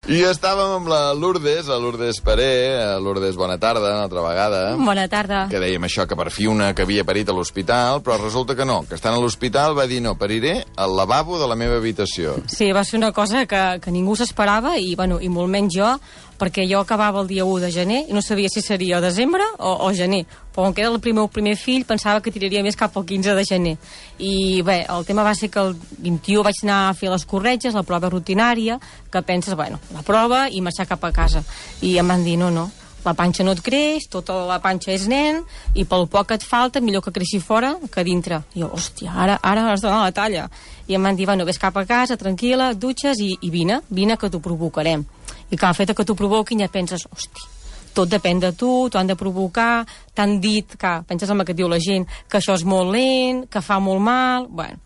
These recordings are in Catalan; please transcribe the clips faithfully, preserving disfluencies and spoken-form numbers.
I estàvem amb la Lourdes, la Lourdes Paré. Lourdes, bona tarda, una altra vegada. Bona tarda. Que dèiem això, que per fi una que havia parit a l'hospital, però resulta que no, que estant a l'hospital va dir no, pariré al lavabo de la meva habitació. Sí, va ser una cosa que, que ningú s'esperava i, bueno, i molt menys jo, perquè jo acabava el dia u de gener i no sabia si seria o desembre o, o gener. Però com que era el primer, el primer fill, pensava que tiraria més cap al quinze de gener. I bé, el tema va ser que el vint-i-u vaig anar a fer les corretges, la prova rutinària, que penses, bueno, la prova i marxar cap a casa. I em van dir, no, no, la panxa no et creix, tota la panxa és nen, i pel poc que et falta, millor que creixi fora que dintre. I jo, hòstia, ara, ara has de donar la talla. I em van dir, bueno, vés cap a casa, tranquil·la, et dutxes i, i vine, vine que t'ho provocarem. I que el fet que t'ho provoquin ja penses, hòstia, tot depèn de tu, t'ho han de provocar, t'han dit, que penses en el que et diu la gent, que això és molt lent, que fa molt mal. Bueno,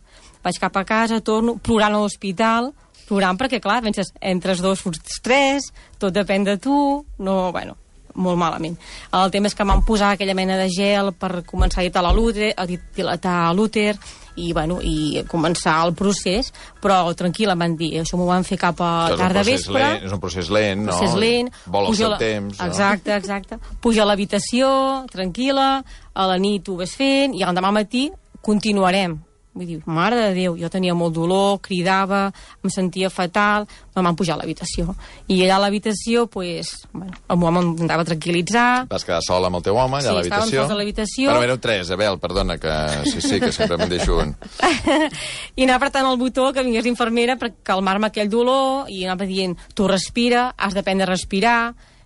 vaig cap a casa, torno, plorant a l'hospital, plorant perquè, clar, penses, entres dos, surts tres, tot depèn de tu, no, bueno, molt malament. El tema és que m'han posat aquella mena de gel per començar a dilatar l'úter, a dilatar l'úter, i, bueno, i començar el procés, però tranquil·la, em van dir, això m'ho van fer cap a tarda vespre. Lent, és un procés lent, no? Procés lent. Vol el seu la... temps, no? Exacte, exacte. Puja a l'habitació, tranquil·la, a la nit ho ves fent, i l'endemà al matí continuarem. Vull dir, mare de Déu, jo tenia molt dolor, cridava, em sentia fatal, em van pujar a l'habitació. I allà a l'habitació, pues, bueno, el meu home em anava a tranquil·litzar. Vas quedar sola amb el teu home, allà sí, a l'habitació? Sí, estàvem sols a l'habitació. Però éreu tres, Abel, perdona, que sí, sí, que sempre me'n deixo un. I anava apretant el botó que vingués l'infermera per calmar-me aquell dolor, i anava dient, tu respira, has d'aprendre a respirar,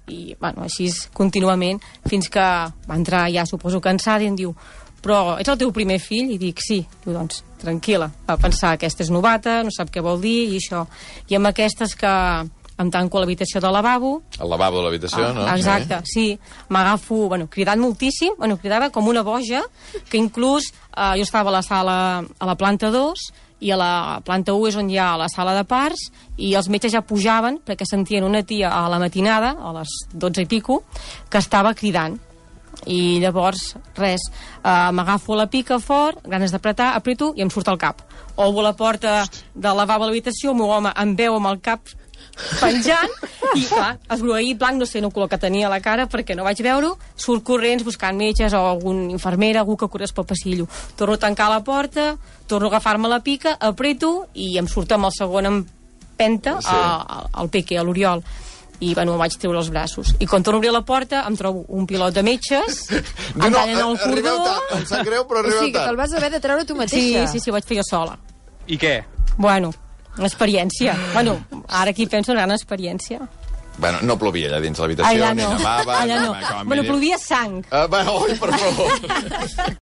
i, bueno, així contínuament, fins que va entrar ja, suposo, cansada, i em diu, però ets el teu primer fill? I dic, sí. Diu, doncs, tranquil·la. Va pensar, aquesta és novata, no sap què vol dir, i això. I amb aquestes que em tanco a l'habitació del lavabo. El lavabo de l'habitació, ah, no? Exacte, sí. M'agafo, bueno, cridant moltíssim, bueno, cridava com una boja, que inclús eh, jo estava a la sala, a la planta dos, i a la planta u és on hi ha la sala de parts, i els metges ja pujaven, perquè sentien una tia a la matinada, a les dotze i pico, que estava cridant. I llavors, res, uh, m'agafo la pica fort, ganes d'apretar, apreto i em surt al cap. Obro la porta del lavabo a l'habitació, el meu home em veu amb el cap penjant, i clar, esgrogueït blanc, no sé el color que tenia a la cara perquè no vaig veure-ho, surt corrents buscant metges o algun infermera, algú que corres pel passillo. Torno a tancar la porta, torno a agafar-me la pica, apreto i em surt amb el segon empenta sí. a, al peque, a l'Oriol. I, bueno, em vaig treure els braços. I quan torno a obrir la porta, em trobo un pilot de metges, em no, tallen el cordó... Em sap greu, però arribeu tard. O sigui, que te'l vas haver de treure tu mateixa. Sí, sí, sí, ho vaig fer jo sola. I què? Bueno, experiència. Bueno, ara aquí penso en gran experiència. Bueno, no plovia allà dins l'habitació, allà ni no. nevava... Allà no. Bueno, plovia sang. Uh, bueno, oi, per favor.